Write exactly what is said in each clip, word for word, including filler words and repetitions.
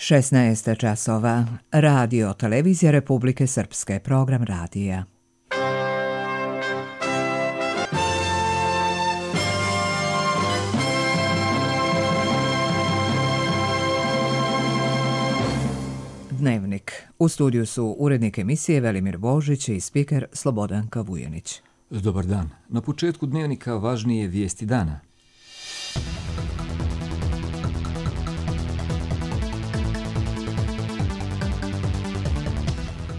šesnaest časova. Radio Televizija Republike Srpske. Program radija. Dnevnik. U studiju su urednik emisije Velimir Božić i spiker Slobodanka Vujanić. Dobar dan. Na početku dnevnika važnije vijesti dana.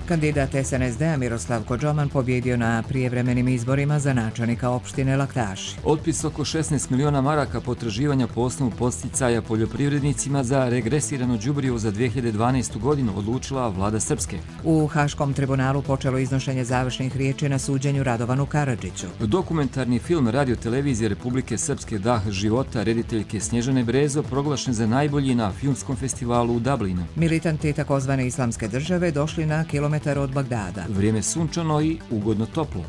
Kandidat es en es de a Miroslav Kodžoman pobjedio na prijevremenim izborima za načelnika opštine Laktaši. Otpis oko šesnaest miliona maraka potraživanja po osnovu podsticaja poljoprivrednicima za regresirano đubrivo za dve hiljade dvanaestu. godinu odlučila vlada Srpske. U Haškom tribunalu počelo iznošenje završnih riječi na suđenju Radovanu Karadžiću. Dokumentarni film Radio Televizije Republike Srpske Dah života rediteljke Snježane Brezo proglašen za najbolji na filmskom festivalu u Dublinu. Militanti takozvane islamske države došli na kilometar od Bagdada. Vrijeme sunčano i ugodno toplo.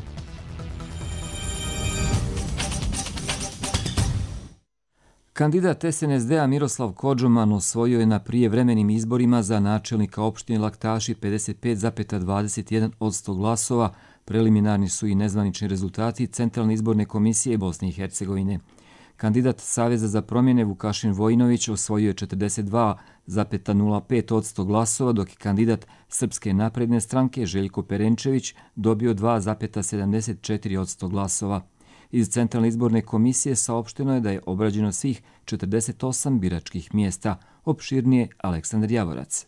Kandidat es en es de a Miroslav Kodžoman osvojio je na prijevremenim izborima za načelnika opštine Laktaši pedeset pet zarez dvadeset jedan posto glasova. Preliminarni su i nezvanični rezultati Centralne izborne komisije Bosne i Hercegovine. Kandidat Saveza za promjene Vukašin Vojinović osvojio je četrdeset dva zarez nula pet posto glasova, dok je kandidat Srpske napredne stranke Željko Perenčević dobio dva zarez sedamdeset četiri posto glasova. Iz Centralne izborne komisije saopšteno je da je obrađeno svih četrdeset osam biračkih mjesta. Opširnije Aleksandar Javorac.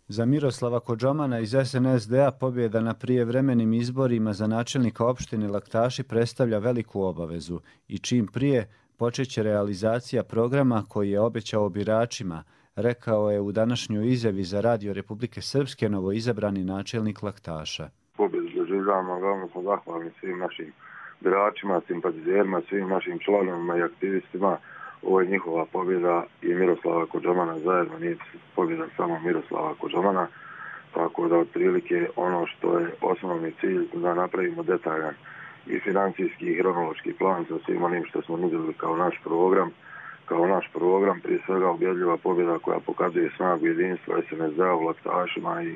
Za Miroslava Kodžomana iz es en es de a pobjeda na prijevremenim izborima za načelnika opštine Laktaši predstavlja veliku obavezu i čim prije počeće realizacija programa koji je obećao biračima, rekao je u današnjoj izjavi za Radio Republike Srpske novoizabrani načelnik Laktaša. Pobjedu doživljavamo, veoma smo zahvalni svim našim biračima, simpatizerima, svim našim članovima i aktivistima. Ovo je njihova pobjeda i Miroslava Kodžomana zajedno, nije pobjeda samo Miroslava Kodžomana, tako da otprilike ono što je osnovni cilj da napravimo detaljan i financijski i hronološki plan sa svim onim što smo nudili kao naš program, kao naš program, prije svega ubjedljiva pobjeda koja pokazuje snagu jedinstva es en es de a u Laktašima i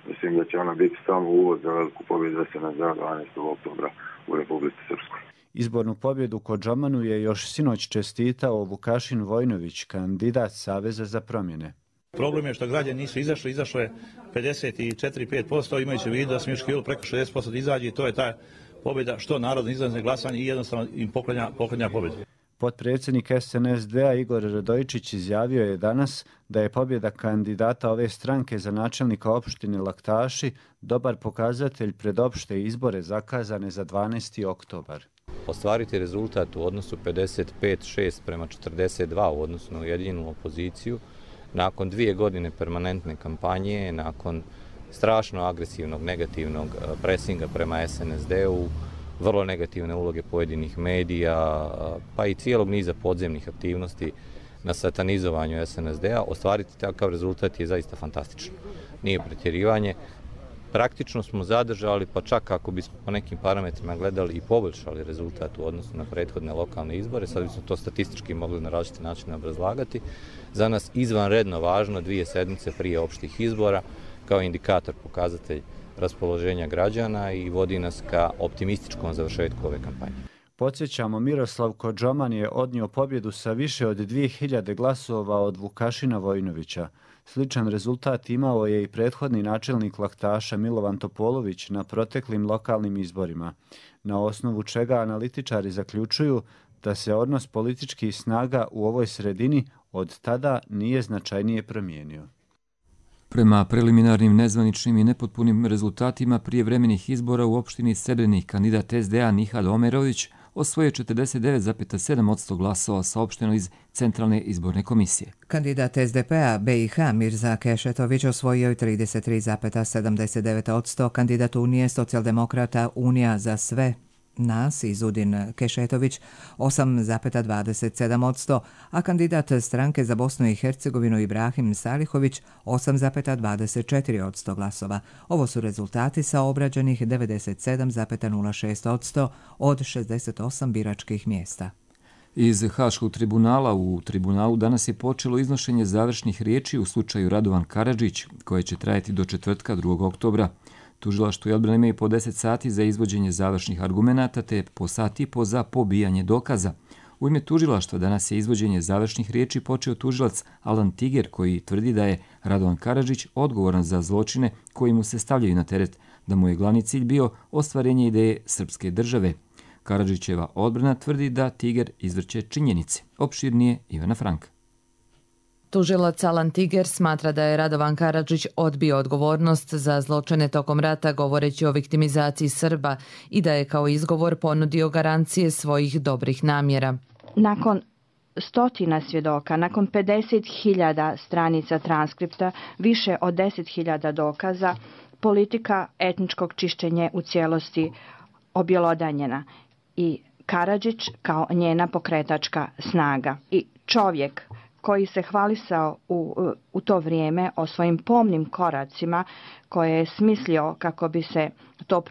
mislim da će ona biti samo uvod za veliku pobjedu es en es de a dvanaestog oktobra u Republici Srpskoj. Izbornu pobjedu Kodžomanu je još sinoć čestitao Vukašin Vojinović, kandidat Saveza za promjene. Problem je što građani nisu izašli, izašlo je pedeset četiri zarez pet posto, imajući u vidu da smo još htjeli preko šezdeset posto izađi i to je ta pobjeda što narod izlazi na glasanje i jednostavno im poklanja, poklanja pobjedu. Potpredsjednik es en es de a Igor Radojičić izjavio je danas da je pobjeda kandidata ove stranke za načelnika opštine Laktaši dobar pokazatelj pred opšte izbore zakazane za dvanaesti oktobar. Ostvariti rezultat u odnosu pedeset pet šest prema četrdeset dva u odnosu na ujedinjenu opoziciju, nakon dvije godine permanentne kampanje, nakon strašno agresivnog negativnog presinga prema es en es de u, vrlo negativne uloge pojedinih medija, pa i cijelog niza podzemnih aktivnosti na satanizovanju es en es de a, ostvariti takav rezultat je zaista fantastično. Nije pretjerivanje. Praktično smo zadržali, pa čak ako bismo po nekim parametrima gledali i poboljšali rezultat u odnosu na prethodne lokalne izbore, sad bismo to statistički mogli na različite načine obrazlagati, za nas izvanredno važno dvije sedmice prije opštih izbora kao indikator, pokazatelj raspoloženja građana i vodi nas ka optimističkom završetku ove kampanje. Podsjećamo, Miroslav Kodžoman je odnio pobjedu sa više od dvije hiljade glasova od Vukašina Vojinovića. Sličan rezultat imao je i prethodni načelnik Laktaša Milovan Topolović na proteklim lokalnim izborima, na osnovu čega analitičari zaključuju da se odnos političkih snaga u ovoj sredini od tada nije značajnije promijenio. Prema preliminarnim nezvaničnim i nepotpunim rezultatima prijevremenih izbora u opštini Srebrenik, kandidat es de a Nihad Omerović osvojio četrdeset devet zarez sedam posto glasova, saopšteno iz Centralne izborne komisije. Kandidat es de pe a be i ha Mirza Kešetović osvojio je trideset tri zarez sedamdeset devet posto, kandidat Unije socijaldemokrata Unija za sve nas Izudin Kešetović osam zarez dvadeset sedam posto, a kandidat stranke za Bosnu i Hercegovinu Ibrahim Salihović osam zarez dvadeset četiri posto glasova. Ovo su rezultati sa obrađenih devedeset sedam zarez nula šest posto od šezdeset osam biračkih mjesta. Iz Haškog tribunala u tribunalu danas je počelo iznošenje završnih riječi u slučaju Radovan Karadžić, koje će trajati do četvrtka drugog oktobra. Tužilaštvo i odbrana imaju po deset sati za izvođenje završnih argumenata te po sat i po za pobijanje dokaza. U ime tužilaštva danas je izvođenje završnih riječi počeo tužilac Alan Tiger, koji tvrdi da je Radovan Karadžić odgovoran za zločine koji mu se stavljaju na teret, da mu je glavni cilj bio ostvarenje ideje srpske države. Karadžićeva odbrana tvrdi da Tiger izvrće činjenice. Opširnije Ivana Franka. Tužilac Alan Tiger smatra da je Radovan Karadžić odbio odgovornost za zločine tokom rata govoreći o viktimizaciji Srba i da je kao izgovor ponudio garancije svojih dobrih namjera. Nakon stotina svjedoka, nakon pedeset hiljada stranica transkripta, više od deset hiljada dokaza, politika etničkog čišćenja u cijelosti objelodanjena i Karadžić kao njena pokretačka snaga. I čovjek koji se hvalisao u, u to vrijeme o svojim pomnim koracima koje je smislio kako bi se to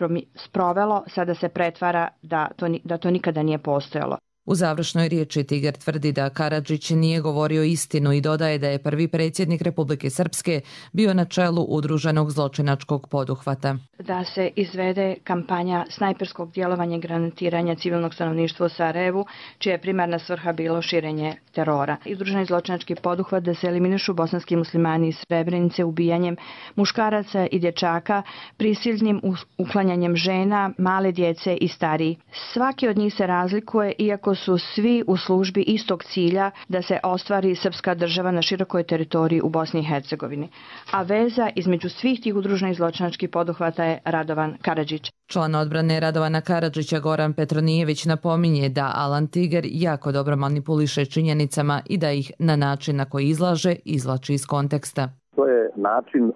sprovelo, sada se pretvara da to, da to nikada nije postojalo. U završnoj riječi Tiger tvrdi da Karadžić nije govorio istinu i dodaje da je prvi predsjednik Republike Srpske bio na čelu udruženog zločinačkog poduhvata. Da se izvede kampanja snajperskog djelovanja i granatiranja civilnog stanovništva u Sarajevu, čija je primarna svrha bilo širenje terora. Udruženi zločinački poduhvat da se eliminišu bosanski muslimani iz Srebrenice ubijanjem muškaraca i dječaka, prisilnim uklanjanjem žena, male djece i stariji. Svaki od njih se razlikuje, iako su svi u službi istog cilja da se ostvari srpska država na širokoj teritoriji u Bosni i Hercegovini. A veza između svih tih udruženih zločinačkih poduhvata je Radovan Karadžić. Član odbrane Radovana Karadžića Goran Petronijević napominje da Alan Tiger jako dobro manipuliše činjenicama i da ih na način na koji izlaže izvlači iz konteksta. To je način uh,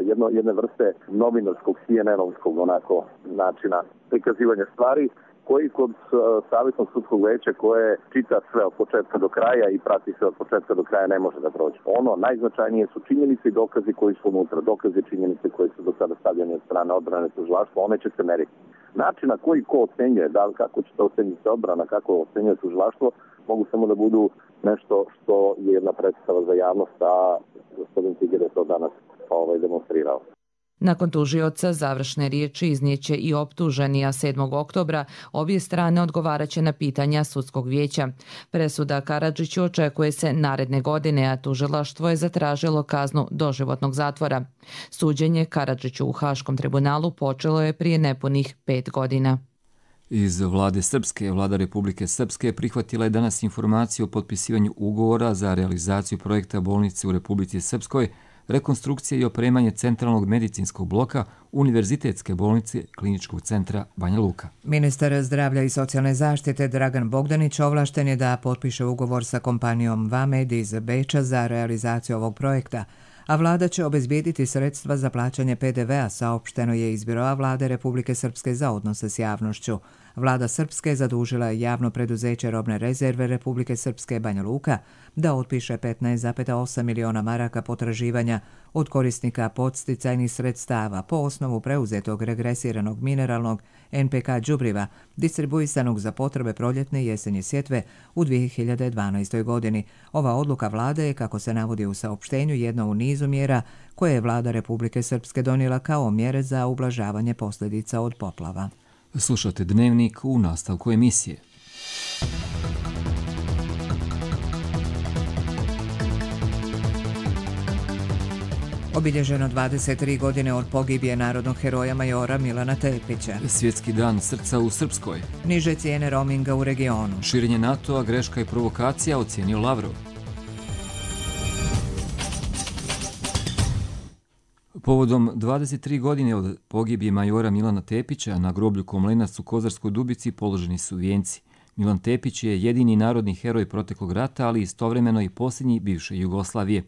jedno, jedne vrste novinarskog C N N-ovskog onako načina prikazivanja stvari, koji kod savjetnog sudskog veća koje čita sve od početka do kraja i prati sve od početka do kraja ne može da prođe. Ono najznačajnije su činjenice i dokazi koji su unutra, dokazi i činjenice koje su do sada stavljene od strane odbrane tužilaštva, one će se meriti. Način na koji ko ocenjuje, da li kako će to ocenjiti odbrana, kako ocenjuje tužilaštvo, mogu samo da budu nešto što je jedna predstava za javnost, a gospodin Tiger je to danas ovaj, demonstrirao. Nakon tužioca završne riječi iznijeće i optuženi, a sedmog oktobra obje strane odgovaraće na pitanja sudskog vijeća. Presuda Karadžiću očekuje se naredne godine, a tužilaštvo je zatražilo kaznu doživotnog zatvora. Suđenje Karadžiću u Haškom tribunalu počelo je prije nepunih pet godina. Iz vlade Srpske, vlada Republike Srpske prihvatila je danas informaciju o potpisivanju ugovora za realizaciju projekta bolnice u Republici Srpskoj, rekonstrukcije i opremanje centralnog medicinskog bloka Univerzitetske bolnice Kliničkog centra Banja Luka. Ministar zdravlja i socijalne zaštite Dragan Bogdanić ovlašten je da potpiše ugovor sa kompanijom Vamed iz Beča za realizaciju ovog projekta, a vlada će obezbijediti sredstva za plaćanje P D V-a, saopšteno je iz Biroa vlade Republike Srpske za odnose s javnošću. Vlada Srpske zadužila je javno preduzeće robne rezerve Republike Srpske Banja Luka da otpiše petnaest zarez osam miliona maraka potraživanja od korisnika podsticajnih sredstava po osnovu preuzetog regresiranog mineralnog N P K đubriva distribuisanog za potrebe proljetne i jesenje sjetve u dvije hiljade dvanaestoj. godini. Ova odluka vlade je, kako se navodi u saopštenju, jedna u nizu mjera koje je vlada Republike Srpske donijela kao mjere za ublažavanje posljedica od poplava. Slušate Dnevnik u nastavku emisije. Obilježeno dvadeset tri godine od pogibije narodnog heroja majora Milana Tepića. Svjetski dan srca u Srpskoj. Niže cijene roaminga u regionu. Širenje NATO-a, greška i provokacija, ocijenio Lavrov. Povodom dvadeset tri godine od pogibije majora Milana Tepića na groblju Komlenac u Kozarskoj Dubici položeni su vijenci. Milan Tepić je jedini narodni heroj proteklog rata, ali istovremeno i posljednji bivše Jugoslavije.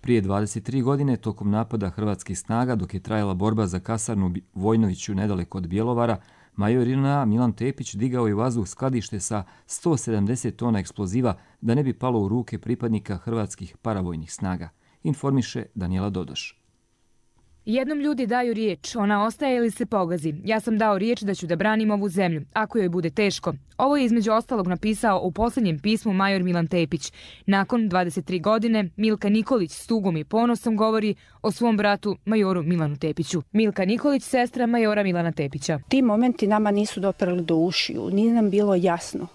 Prije dvadeset tri godine, tokom napada hrvatskih snaga, dok je trajala borba za kasarnu Vojnoviću nedaleko od Bjelovara, major J N A Milan Tepić digao je u vazduh skladište sa sto sedamdeset tona eksploziva da ne bi palo u ruke pripadnika hrvatskih paravojnih snaga, informiše Danijela Dodoš. Jednom ljudi daju riječ, ona ostaje ili se pogazi. Ja sam dao riječ da ću da branim ovu zemlju, ako joj bude teško. Ovo je između ostalog napisao u posljednjem pismu major Milan Tepić. Nakon dvadeset tri godine, Milka Nikolić s tugom i ponosom govori o svom bratu majoru Milanu Tepiću. Milka Nikolić, sestra majora Milana Tepića. Ti momenti nama nisu doprali do ušiju, nije nam bilo jasno.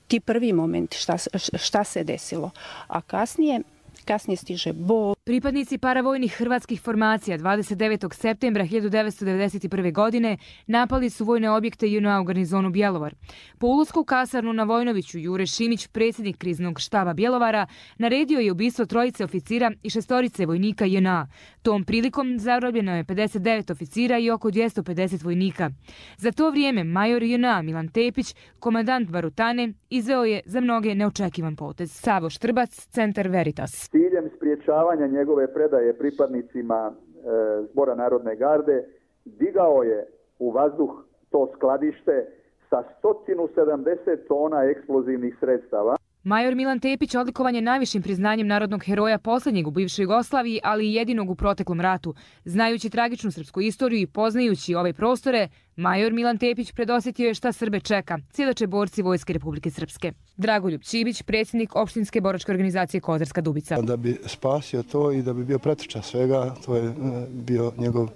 Ti prvi momenti šta, šta se desilo, a kasnije... Kasnije stiže bol. Pripadnici paravojnih hrvatskih formacija dvadeset devetog septembra hiljadu devetsto devedeset prve. godine napali su vojne objekte J N A u garnizonu Bjelovar. Po ulasku u kasarnu na Vojnoviću, Jure Šimić, predsjednik kriznog štaba Bjelovara, naredio je ubistvo trojice oficira i šestorice vojnika J N A. Tom prilikom zarobljeno je pedeset devet oficira i oko dvjesto pedeset vojnika. Za to vrijeme major J N A Milan Tepić, komandant Barutane, izveo je za mnoge neočekivan potez. Savo Štrbac, Centar Veritas. Ciljem spriječavanja njegove predaje pripadnicima e, Zbora Narodne garde digao je u vazduh to skladište sa sto sedamdeset tona eksplozivnih sredstava. Major Milan Tepić odlikovan je najvišim priznanjem narodnog heroja posljednjeg u bivšoj Jugoslaviji, ali i jedinog u proteklom ratu. Znajući tragičnu srpsku istoriju i poznajući ove prostore, major Milan Tepić predosjetio je šta Srbe čeka, svjedoče borci Vojske Republike Srpske. Dragoljub Čibić, predsjednik opštinske boračke organizacije Kozarska Dubica. Da bi spasio to i da bi bio pretrča svega, to je bio njegov,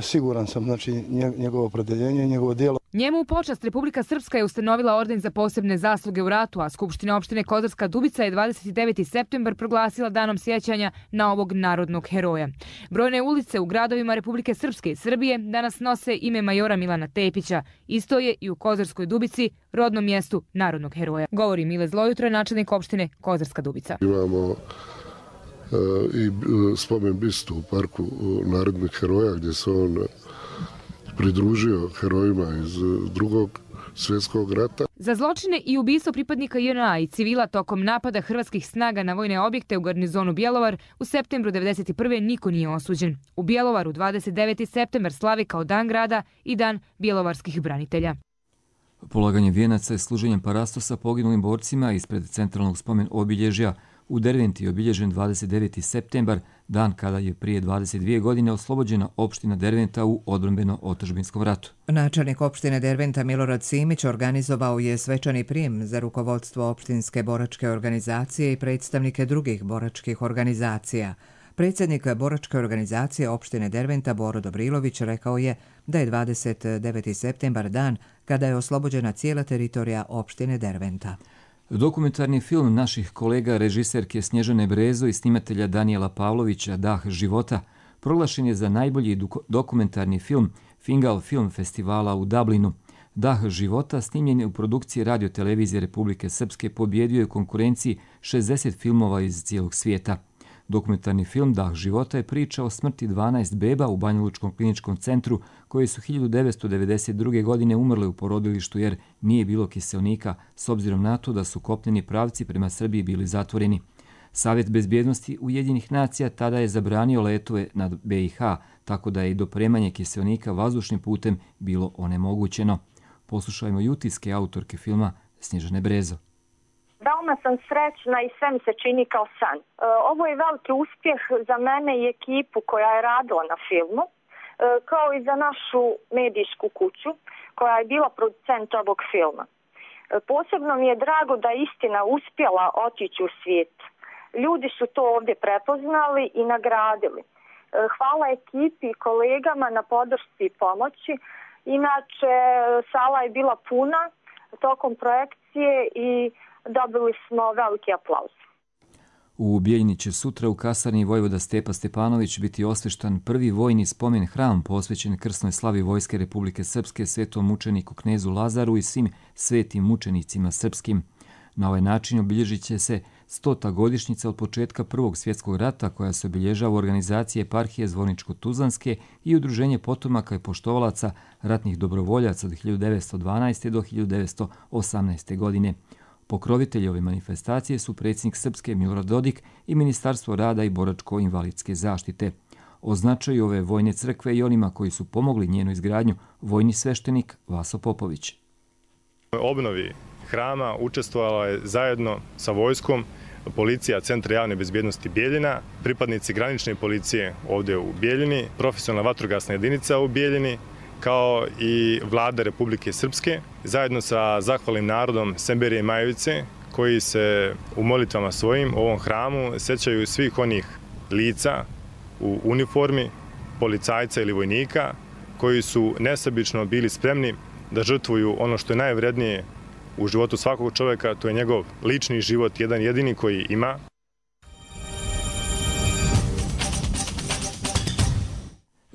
siguran sam, znači njegovo opredeljenje i njegovo djelo. Njemu u počast Republika Srpska je ustanovila orden za posebne zasluge u ratu, a Skupština opštine Kozarska Dubica je dvadeset deveti septembar proglasila danom sjećanja na ovog narodnog heroja. Brojne ulice u gradovima Republike Srpske i Srbije danas nose ime majora Milana Tepića. Isto je i u Kozarskoj Dubici, rodnom mjestu narodnog heroja. Govori Mile Zlojutro, načelnik opštine Kozarska Dubica. Imamo uh, i spomen bistu u parku narodnih heroja gdje se on pridružio herojima iz drugog svjetskog rata. Za zločine i ubistvo pripadnika J N A i civila tokom napada hrvatskih snaga na vojne objekte u garnizonu Bjelovar u septembru devedeset prve. niko nije osuđen. U Bjelovaru dvadeset deveti septembar slavi kao dan grada i dan bjelovarskih branitelja. Polaganje vijenaca i služenjem parastosa poginulim borcima ispred centralnog spomen obilježja u Derventi je obilježen dvadeset deveti septembar, dan kada je prije dvadeset dvije godine oslobođena opština Derventa u odbrambeno-otadžbinskom ratu. Načelnik opštine Derventa Milorad Simić organizovao je svečani prijem za rukovodstvo opštinske boračke organizacije i predstavnike drugih boračkih organizacija. Predsjednik boračke organizacije opštine Derventa Boro Dobrilović rekao je da je dvadeset deveti septembar dan kada je oslobođena cijela teritorija opštine Derventa. Dokumentarni film naših kolega režiserke Snježane Brezo i snimatelja Danijela Pavlovića Dah života proglašen je za najbolji dokumentarni film Fingal Film Festivala u Dublinu. Dah života snimljen je u produkciji Radio-televizije Republike Srpske pobjedio je u konkurenciji šezdeset filmova iz cijelog svijeta. Dokumentarni film Dah života je priča o smrti dvanaest beba u Banjalučkom kliničkom centru koji su hiljadu devetsto devedeset druge. godine umrle u porodilištu jer nije bilo kiseonika s obzirom na to da su kopneni pravci prema Srbiji bili zatvoreni. Savjet bezbjednosti Ujedinjenih nacija tada je zabranio letove nad B i H, tako da je i dopremanje kiseonika vazdušnim putem bilo onemogućeno. Poslušajmo utiske autorke filma Snježane Brezo. Veoma sam srećna i sve mi se čini kao san. Ovo je veliki uspjeh za mene i ekipu koja je radila na filmu, kao i za našu medijsku kuću koja je bila producent ovog filma. Posebno mi je drago da je istina uspjela otići u svijet. Ljudi su to ovdje prepoznali i nagradili. Hvala ekipi i kolegama na podršci i pomoći. Inače, sala je bila puna tokom projekcije i dobili smo veliki aplauz. U Bijeljini će sutra u kasarni vojvoda Stepa Stepanović biti osveštan prvi vojni spomen hram posvećen krsnoj slavi Vojske Republike Srpske, svetom mučeniku knezu Lazaru i svim svetim mučenicima srpskim. Na ovaj način obilježit će se stota godišnjica od početka Prvog svjetskog rata koja se obilježava u organizaciji eparhije Zvorničko-Tuzlanske i udruženje potomaka i poštovalaca ratnih dobrovoljaca od hiljadu devetsto dvanaeste. do hiljadu devetsto osamnaeste. godine. Pokrovitelji ove manifestacije su predsjednik Srpske Milorad Dodik i Ministarstvo rada i boračko-invalidske zaštite. O značaju ove vojne crkve i onima koji su pomogli njenu izgradnju vojni sveštenik Vaso Popović. Obnovi hrama učestvovala je zajedno sa vojskom policija Centra javne bezbjednosti Bijeljina, pripadnici granične policije ovdje u Bijeljini, profesionalna vatrogasna jedinica u Bijeljini, kao i vlada Republike Srpske, zajedno sa zahvalnim narodom Semberije i Majevice, koji se u molitvama svojim u ovom hramu sećaju svih onih lica u uniformi, policajca ili vojnika, koji su nesebično bili spremni da žrtvuju ono što je najvrednije u životu svakog čovjeka, to je njegov lični život, jedan jedini koji ima.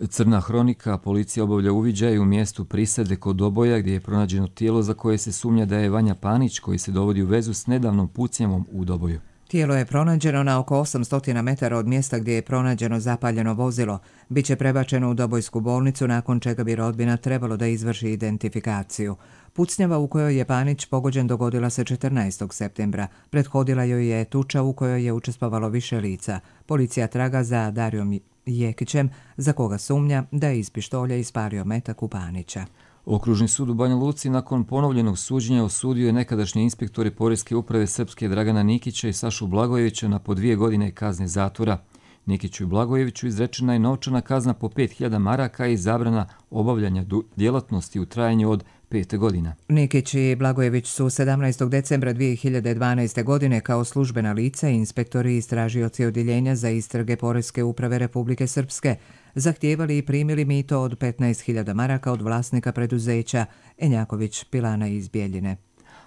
Crna hronika, policija obavlja uviđaj u mjestu prisade kod Doboja gdje je pronađeno tijelo za koje se sumnja da je Vanja Panić, koji se dovodi u vezu s nedavnom pucnjavom u Doboju. Tijelo je pronađeno na oko osamsto metara od mjesta gdje je pronađeno zapaljeno vozilo. Biće prebačeno u Dobojsku bolnicu, nakon čega bi rodbina trebalo da izvrši identifikaciju. Pucnjava u kojoj je Panić pogođen dogodila se četrnaestog septembra. Prethodila joj je tuča u kojoj je učestvovalo više lica. Policija traga za Darijom Jekićem, za koga sumnja da je iz pištolja ispario metak u Panića. Okružni sud u Banja Luci nakon ponovljenog suđenja osudio je nekadašnje inspektore Poreske uprave Srpske Dragana Nikića i Sašu Blagojevića na po dvije godine kazne zatvora. Nikiću i Blagojeviću izrečena je novčana kazna po pet hiljada maraka i zabrana obavljanja djelatnosti u trajanju od pet godina. Nikić i Blagojević su sedamnaestog decembra dvije hiljade dvanaeste. godine kao službena lica i inspektori i istražioci odjeljenja za istrage Poreske uprave Republike Srpske zahtijevali i primili mito od petnaest hiljada maraka od vlasnika preduzeća Enjaković Pilana iz Bijeljine.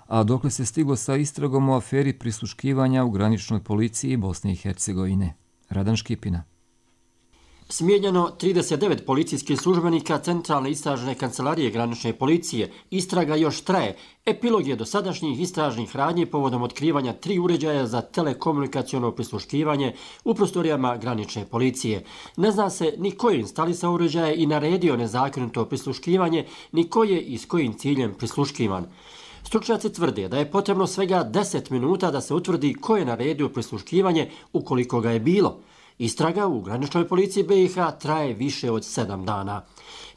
A dokle se stiglo sa istragom o aferi prisluškivanja u graničnoj policiji Bosne i Hercegovine? Radan Škipina. Smijenjeno trideset devet policijskih službenika Centralne istražne kancelarije granične policije. Istraga još traje. Epilog je dosadašnjih istražnih radnji povodom otkrivanja tri uređaja za telekomunikaciono prisluškivanje u prostorijama granične policije. Ne zna se ni ko je instalisao uređaje i naredio nezakonito prisluškivanje, ni ko je i s kojim ciljem prisluškivan. Stručnjaci tvrde da je potrebno svega deset minuta da se utvrdi ko je naredio prisluškivanje ukoliko ga je bilo. Istraga u graničnoj policiji B i H traje više od sedam dana.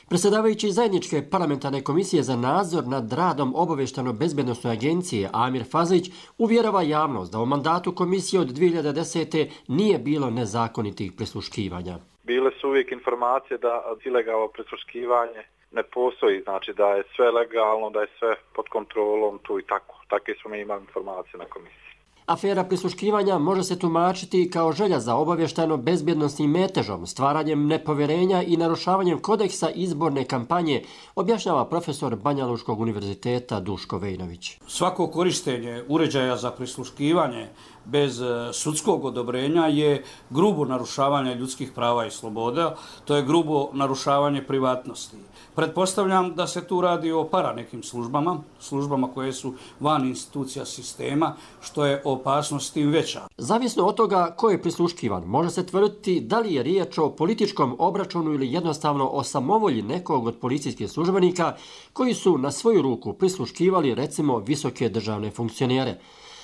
Predsjedavajući zajedničke parlamentarne komisije za nadzor nad radom obavještano-bezbednosne agencije Amir Fazlić uvjerava javnost da u mandatu komisije od dvije hiljade desete. nije bilo nezakonitih prisluškivanja. Bile su uvijek informacije da ilegalno prisluškivanje ne postoji, znači da je sve legalno, da je sve pod kontrolom tu i tako. Takve smo mi imali informacije na komisiji. Afera prisluškivanja može se tumačiti kao želja za obavještano bezbjednosnim metežom, stvaranjem nepovjerenja i narušavanjem kodeksa izborne kampanje, objašnjava profesor Banja Lučkog univerziteta Duško Vejnović. Svako korištenje uređaja za prisluškivanje bez sudskog odobrenja je grubo narušavanje ljudskih prava i sloboda, to je grubo narušavanje privatnosti. Pretpostavljam da se tu radi o para nekim službama, službama koje su van institucija sistema, što je opasnost tim veća. Zavisno od toga ko je prisluškivan, može se tvrditi da li je riječ o političkom obračunu ili jednostavno o samovolji nekog od policijskih službenika koji su na svoju ruku prisluškivali recimo visoke državne funkcionere.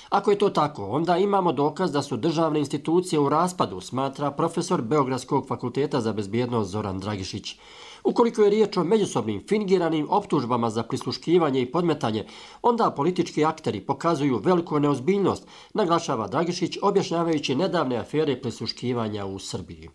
Ako je to tako, onda imamo dokaz da su državne institucije u raspadu, smatra profesor Beogradskog fakulteta za bezbjednost Zoran Dragišić. Ukoliko je riječ o međusobnim fingiranim optužbama za prisluškivanje i podmetanje, onda politički akteri pokazuju veliku neozbiljnost, naglašava Dragišić objašnjavajući nedavne afere prisluškivanja u Srbiji.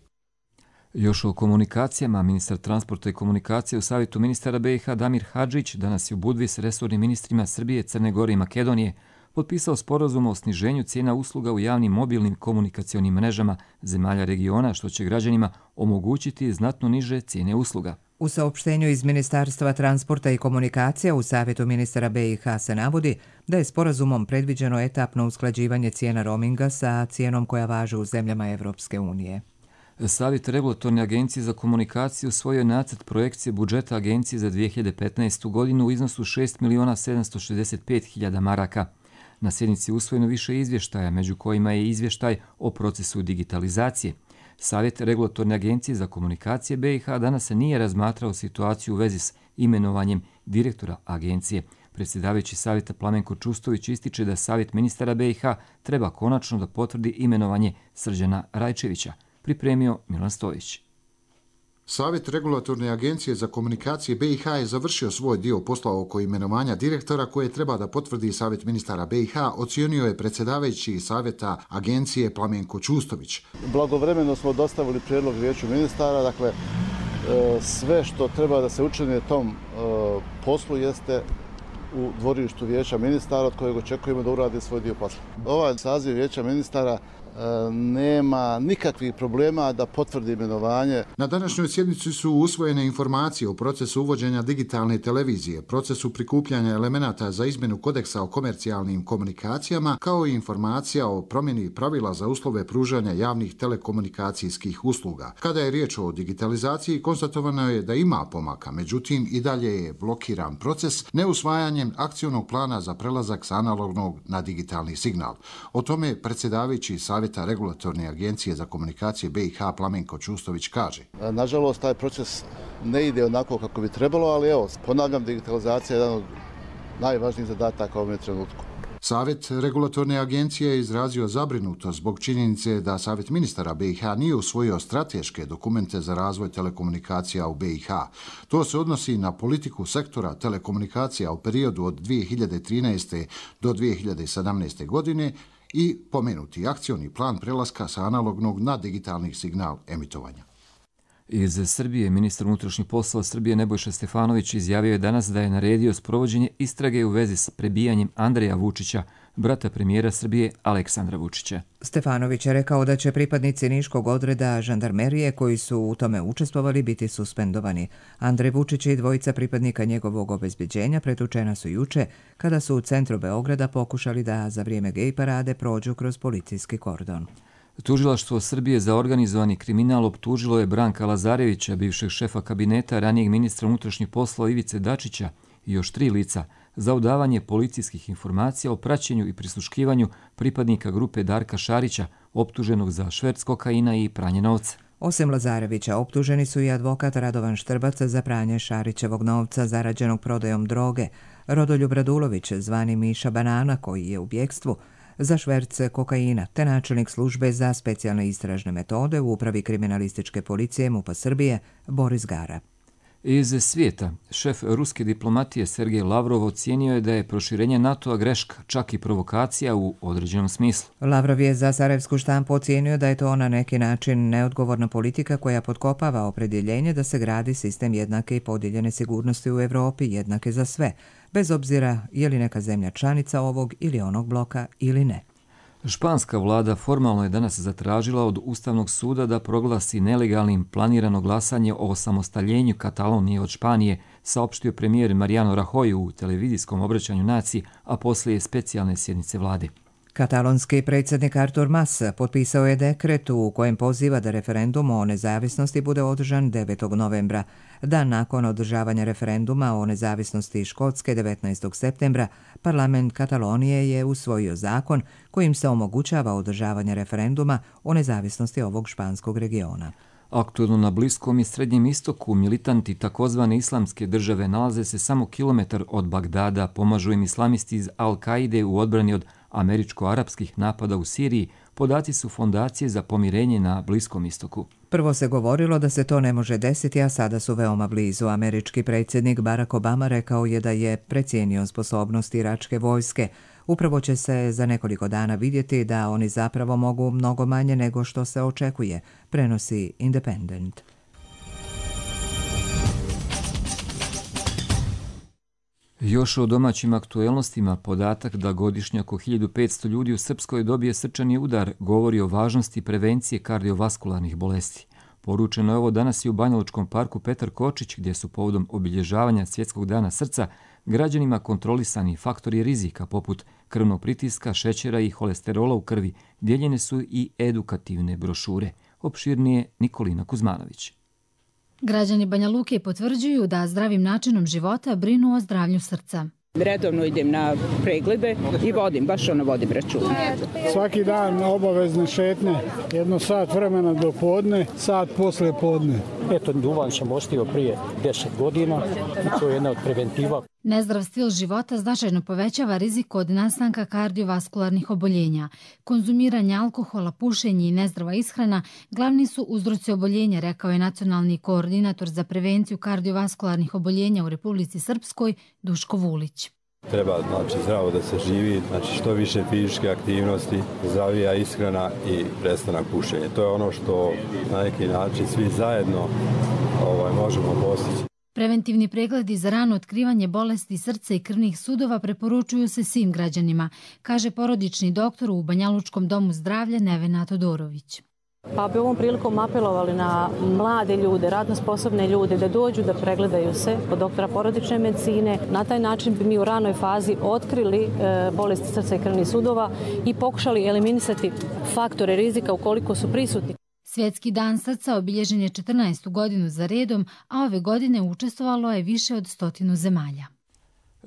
Još o komunikacijama, ministar transporta i komunikacije u Savjetu ministara B i H Damir Hadžić danas je u Budvi s resornim ministrima Srbije, Crne Gore i Makedonije potpisao sporazum o sniženju cijena usluga u javnim mobilnim komunikacionim mrežama zemalja regiona, što će građanima omogućiti znatno niže cijene usluga. U saopštenju iz Ministarstva transporta i komunikacija u Savjetu ministara B i H se navodi da je sporazumom predviđeno etapno usklađivanje cijena roaminga sa cijenom koja važi u zemljama Evropske unije. Savjet regulatorne agencije za komunikaciju usvojio je nacrt projekcije budžeta agencije za dvije hiljade petnaestu. godinu u iznosu šest miliona sedamsto šezdeset pet hiljada maraka. Na sjednici je usvojeno više izvještaja, među kojima je izvještaj o procesu digitalizacije. Savjet regulatorne agencije za komunikacije B i H danas se nije razmatrao situaciju u vezi s imenovanjem direktora agencije. Predsjedavajući savjeta Plamenko Čustović ističe da savjet ministara B i H treba konačno da potvrdi imenovanje Srđana Rajčevića. Pripremio Milan Stojić. Savjet regulatorne agencije za komunikacije B i H je završio svoj dio posla oko imenovanja direktora koje treba da potvrdi Savjet ministara B i H, ocijenio je predsjedavajući Savjeta agencije Plamenko Čustović. Blagovremeno smo dostavili prijedlog vijeću ministara, dakle sve što treba da se učini tom poslu jeste u dvorištu vijeća ministara od kojeg očekujemo da uradi svoj dio posla. Ovaj saziv vijeća ministara nema nikakvih problema da potvrdi imenovanje. Na današnjoj sjednici su usvojene informacije o procesu uvođenja digitalne televizije, procesu prikupljanja elemenata za izmjenu kodeksa o komercijalnim komunikacijama, kao i informacija o promjeni pravila za uslove pružanja javnih telekomunikacijskih usluga. Kada je riječ o digitalizaciji, konstatovano je da ima pomaka, međutim i dalje je blokiran proces neusvajanjem akcionog plana za prelazak sa analognog na digitalni signal. O tome predsjedavajući Savjeta regulatorne agencije za komunikacije B i H Plamenko Čustović kaže. Nažalost, taj proces ne ide onako kako bi trebalo, ali evo, ponavljam, digitalizacija je jedan od najvažnijih zadataka u ovom trenutku. Savjet regulatorne agencije je izrazio zabrinutost zbog činjenice da Savjet ministara B i H nije usvojio strateške dokumente za razvoj telekomunikacija u B i H. To se odnosi na politiku sektora telekomunikacija u periodu od dvije hiljade trinaeste. do dvije hiljade sedamnaeste. godine i pomenuti akcioni plan prelaska sa analognog na digitalni signal emitovanja. Iz Srbije ministar unutrašnjih poslova Srbije Nebojša Stefanović izjavio je danas da je naredio sprovođenje istrage u vezi s prebijanjem Andreja Vučića, brata premijera Srbije Aleksandra Vučića. Stefanović je rekao da će pripadnici niškog odreda žandarmerije koji su u tome učestvovali biti suspendovani. Andrej Vučić i dvojica pripadnika njegovog obezbeđenja pretučena su juče kada su u centru Beograda pokušali da za vrijeme gej parade prođu kroz policijski kordon. Tužilaštvo Srbije za organizovani kriminal optužilo je Branka Lazarevića, bivšeg šefa kabineta ranijeg ministra unutrašnjih poslova Ivice Dačića i još tri lica za udavanje policijskih informacija o praćenju i prisluškivanju pripadnika grupe Darka Šarića, optuženog za šverc kokaina i pranje novca. Osim Lazarevića, optuženi su i advokat Radovan Štrbac za pranje Šarićevog novca zarađenog prodajom droge, Rodoljub Radulović, zvani Miša Banana, koji je u bjekstvu, za šverce kokaina, te načelnik službe za specijalne istražne metode u upravi kriminalističke policije MUP-a Srbije Boris Gara. Iz svijeta, šef ruske diplomatije Sergej Lavrov ocijenio je da je proširenje NATO-a greška, čak i provokacija u određenom smislu. Lavrov je za sarajevsku štampu ocijenio da je to na neki način neodgovorna politika koja potkopava opredjeljenje da se gradi sistem jednake i podijeljene sigurnosti u Evropi, jednake za sve, bez obzira je li neka zemlja članica ovog ili onog bloka ili ne. Španska vlada formalno je danas zatražila od Ustavnog suda da proglasi nelegalnim planirano glasanje o osamostaljenju Katalonije od Španije, saopštio premijer Mariano Rajoy u televizijskom obraćanju naciji, a poslije specijalne sjednice vlade. Katalonski predsjednik Artur Mas potpisao je dekret u kojem poziva da referendum o nezavisnosti bude održan devetog novembra. Dan nakon održavanja referenduma o nezavisnosti Škotske devetnaestog septembra, parlament Katalonije je usvojio zakon kojim se omogućava održavanje referenduma o nezavisnosti ovog španskog regiona. Aktuelno na Bliskom i Srednjem istoku militanti takozvane islamske države nalaze se samo kilometar od Bagdada, pomažu im islamisti iz Al-Kaide u odbrani od američko-arapskih napada u Siriji, podaci su Fondacije za pomirenje na Bliskom istoku. Prvo se govorilo da se to ne može desiti, a sada su veoma blizu. Američki predsjednik Barack Obama rekao je da je precijenio sposobnost iračke vojske. Upravo će se za nekoliko dana vidjeti da oni zapravo mogu mnogo manje nego što se očekuje, prenosi Independent. Još o domaćim aktuelnostima, podatak da godišnje oko hiljadu petsto ljudi u Srpskoj dobije srčani udar govori o važnosti prevencije kardiovaskularnih bolesti. Poručeno je ovo danas i u Banjalučkom parku Petar Kočić, gdje su povodom obilježavanja Svjetskog dana srca građanima kontrolisani faktori rizika poput krvnog pritiska, šećera i holesterola u krvi. Dijeljene su i edukativne brošure. Opširnije Nikolina Kuzmanović. Građani Banja Luke potvrđuju da zdravim načinom života brinu o zdravlju srca. Redovno idem na preglede i vodim, baš ono vodim računa. Svaki dan obavezne šetnje, jedno sat vremena do podne, sat posle podne. Eto, duvan sam ostio prije deset godina i to je jedna od preventiva. Nezdrav stil života značajno povećava rizik od nastanka kardiovaskularnih oboljenja. Konzumiranje alkohola, pušenje i nezdrava ishrana glavni su uzroci oboljenja, rekao je nacionalni koordinator za prevenciju kardiovaskularnih oboljenja u Republici Srpskoj, Duško Vulić. Treba znači, zdravo da se živi, znači što više fizičke aktivnosti, zdravija ishrana i prestanak pušenja. To je ono što na neki način svi zajedno ovaj, možemo postići. Preventivni pregledi za rano otkrivanje bolesti srca i krvnih sudova preporučuju se svim građanima, kaže porodični doktor u Banjalučkom domu zdravlja Nevena Todorović. Pa bi ovom prilikom apelovali na mlade ljude, radno sposobne ljude da dođu da pregledaju se kod doktora porodične medicine. Na taj način bi mi u ranoj fazi otkrili e, bolesti srca i krvnih sudova i pokušali eliminisati faktore rizika ukoliko su prisutni. Svjetski dan srca obilježen je četrnaestu godinu za redom, a ove godine učestvovalo je više od stotinu zemalja.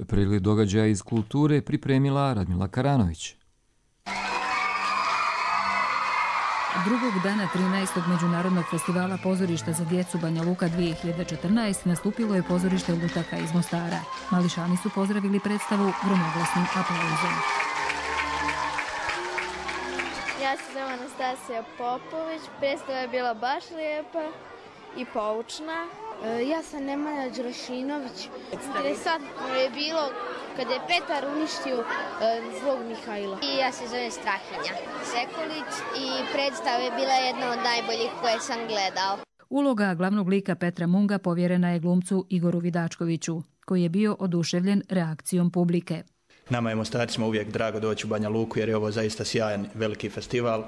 Pregled događaja iz kulture pripremila Radmila Karanović. Drugog dana trinaestog Međunarodnog festivala pozorišta za djecu Banja Luka dvije hiljade četrnaeste nastupilo je pozorište Lutaka iz Mostara. Mališani su pozdravili predstavu gromoglasnim aplauzom. Ja se zovem Anastasija Popović, predstava je bila baš lijepa i poučna. Ja sam Nemanja Đurašinović. Interesantno je bilo kada je Petar uništio zlog Mihajla. I ja se zovem Strahinja Sekulić i predstava je bila jedna od najboljih koje sam gledao. Uloga glavnog lika Petra Munga povjerena je glumcu Igoru Vidačkoviću, koji je bio oduševljen reakcijom publike. Nama je Mostarcima uvijek drago doći u Banja Luku jer je ovo zaista sjajan veliki festival.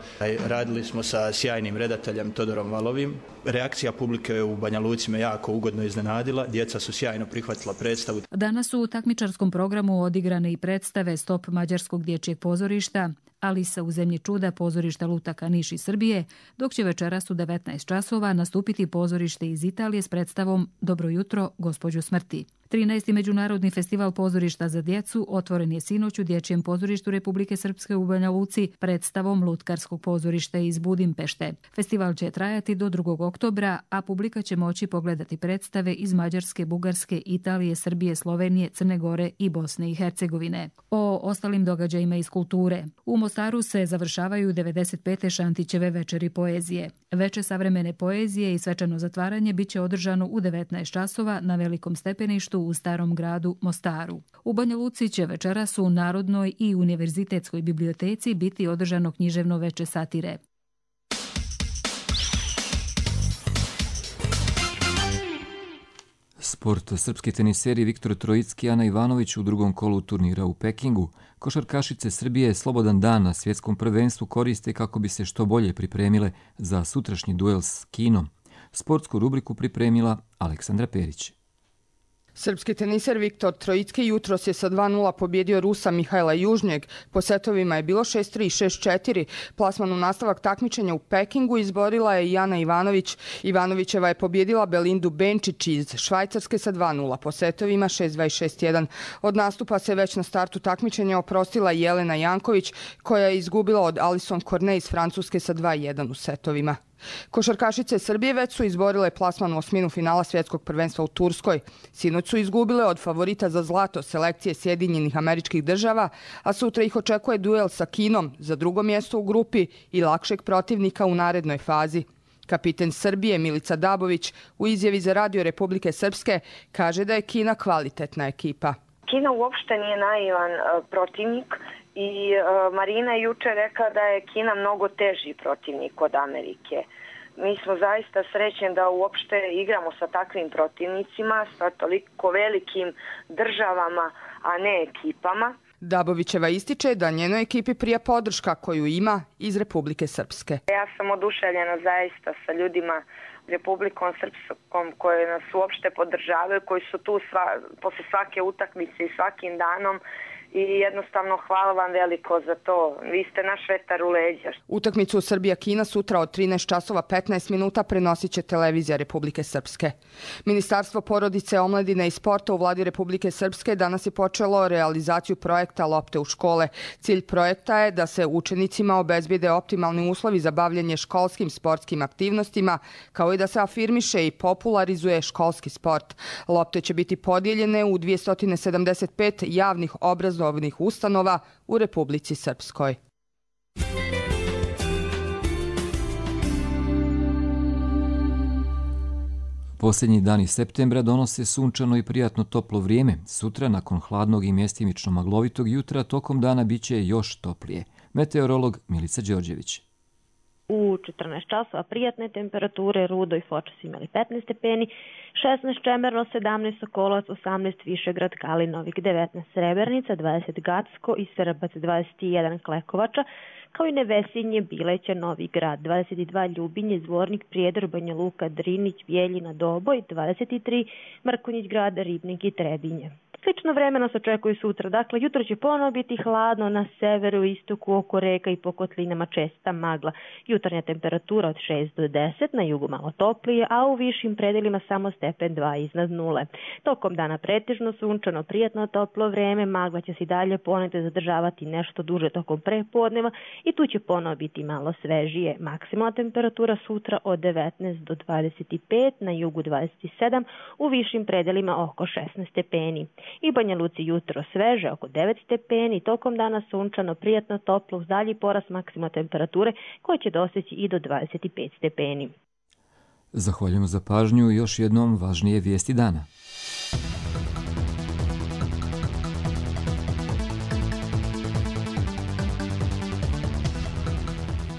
Radili smo sa sjajnim redateljem Todorom Valovim. Reakcija publike u Banja Luci me jako ugodno iznenadila. Djeca su sjajno prihvatila predstavu. Danas su u takmičarskom programu odigrane i predstave Stop mađarskog dječjeg pozorišta, Alisa u zemlji čuda pozorišta Lutaka Niš iz Srbije, dok će večeras u devetnaest časova nastupiti pozorište iz Italije s predstavom Dobro jutro, gospođo smrti. trinaesti Međunarodni festival pozorišta za djecu otvoren je sinoć u Dječjem pozorištu Republike Srpske u Banja Luci predstavom Lutkarskog pozorišta iz Budimpešte. Festival će trajati do drugog oktobra, a publika će moći pogledati predstave iz Mađarske, Bugarske, Italije, Srbije, Slovenije, Crne Gore i Bosne i Hercegovine. O ostalim događajima iz kulture. U Mostaru se završavaju devedeset pete Šantićeve večeri poezije. Veče savremene poezije i svečano zatvaranje biće održano u devetnaest časova na Velikom stepeništu u Starom gradu Mostaru. U Banja Luci će večeras u Narodnoj i Univerzitetskoj biblioteci biti održano književno veče satire. Sport. Srpski teniseri Viktor Trojicki i Ana Ivanović u drugom kolu turnira u Pekingu. Košarkašice Srbije slobodan dan na svjetskom prvenstvu koriste kako bi se što bolje pripremile za sutrašnji duel s Kinom. Sportsku rubriku pripremila Aleksandra Perić. Srpski teniser Viktor Trojicki jutros je sa dva nula pobjedio Rusa Mihajla Južnjeg. Po setovima je bilo šest tri i šest četiri. Plasman u nastavak takmičenja u Pekingu izborila je i Ana Ivanović. Ivanovićeva je pobjedila Belindu Benčić iz Švajcarske sa dva nula. Po setovima šest dva i šest jedan. Od nastupa se već na startu takmičenja oprostila Jelena Janković, koja je izgubila od Alison Cornet iz Francuske sa dva jedan u setovima. Košarkašice Srbije već su izborile plasman u osminu finala svjetskog prvenstva u Turskoj. Sinoć su izgubile od favorita za zlato selekcije Sjedinjenih Američkih Država, a sutra ih očekuje duel sa Kinom za drugo mjesto u grupi i lakšeg protivnika u narednoj fazi. Kapiten Srbije Milica Dabović u izjavi za Radio Republike Srpske kaže da je Kina kvalitetna ekipa. Kina uopšte nije naivan uh, protivnik i uh, Marina je juče rekla da je Kina mnogo teži protivnik od Amerike. Mi smo zaista srećni da uopšte igramo sa takvim protivnicima, sa toliko velikim državama, a ne ekipama. Dabovićeva ističe da njenoj ekipi prija podrška koju ima iz Republike Srpske. Ja sam oduševljena zaista sa ljudima Republikom Srpskom koje nas uopšte podržavaju, koji su tu sva, posle svake utakmice i svakim danom i jednostavno hvala vam veliko za to. Vi ste naš vetar u leđa. Utakmicu Srbija-Kina sutra od trinaest časova petnaest minuta prenosit će televizija Republike Srpske. Ministarstvo porodice, omladine i sporta u vladi Republike Srpske danas je počelo realizaciju projekta Lopte u škole. Cilj projekta je da se učenicima obezbede optimalni uslovi za bavljanje školskim sportskim aktivnostima, kao i da se afirmiše i popularizuje školski sport. Lopte će biti podijeljene u dvjesto sedamdeset pet javnih obrazovnih ustanova u Republici Srpskoj. Posljednji dani septembra donose sunčano i prijatno toplo vrijeme. Sutra, nakon hladnog i mjestimično maglovitog jutra, tokom dana biće još toplije. Meteorolog Milica Đorđević. U četrnaest časova prijatne temperature, Rudo i Foča su imali petnaest stepeni, šesnaest Čemerno, sedamnaest Sokolovac, osamnaest Višegrad, Kalinovik, devetnaest Srebrnica, dvadeset Gacko i Srbac, dvadeset jedan Klekovača, kao i Nevesinje, Bileća, Novi Grad, dvadeset dva Ljubinje, Zvornik, Prijedor, Banja Luka, Drinić, Bjeljina, Doboj, dvadeset tri Mrkonjić Grad, Ribnik i Trebinje. Slično vreme nas očekuje sutra, dakle jutro će ponovo biti hladno na severu, istoku, oko reka i po kotlinama česta magla. Jutarnja temperatura od šest do deset, na jugu malo toplije, a u višim predelima samo stepen dva iznad nule. Tokom dana pretežno sunčano, prijatno toplo vreme, magla će se i dalje ponekad zadržavati nešto duže tokom prepodneva i tu će ponovo biti malo svežije. Maksimalna temperatura sutra od devetnaest do dvadeset pet, na jugu dvadeset sedam, u višim predelima oko šesnaest stepeni. I Banja Luci jutro sveže, oko devet stepeni, tokom dana sunčano, prijatno toplo, uz dalji porast maksimalne temperature koje će doseći i do dvadeset pet stepeni. Zahvaljujemo za pažnju i još jednom važnije vijesti dana.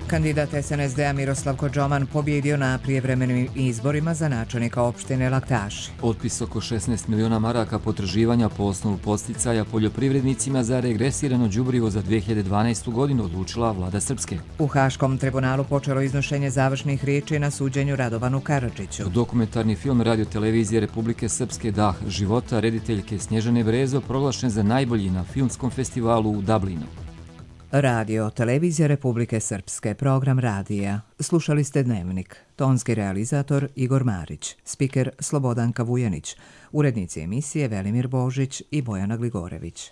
Kandidat S N S D-a Miroslav Kodžoman pobjedio na prijevremenim izborima za načelnika opštine Laktaši. Otpis oko šesnaest miliona maraka potraživanja po osnovu podsticaja poljoprivrednicima za regresirano đubrivo za dve hiljade dvanaestu. godinu odlučila vlada Srpske. U Haškom tribunalu počelo iznošenje završnih riječi na suđenju Radovanu Karadžiću. Dokumentarni film Radio-televizije Republike Srpske Dah života rediteljke Snježane Brezo proglašen za najbolji na filmskom festivalu u Dublinu. Radio, televizija Republike Srpske, program radija. Slušali ste Dnevnik. Tonski realizator Igor Marić, spiker Slobodanka Vujanić, urednici emisije Velimir Božić i Bojana Gligorević.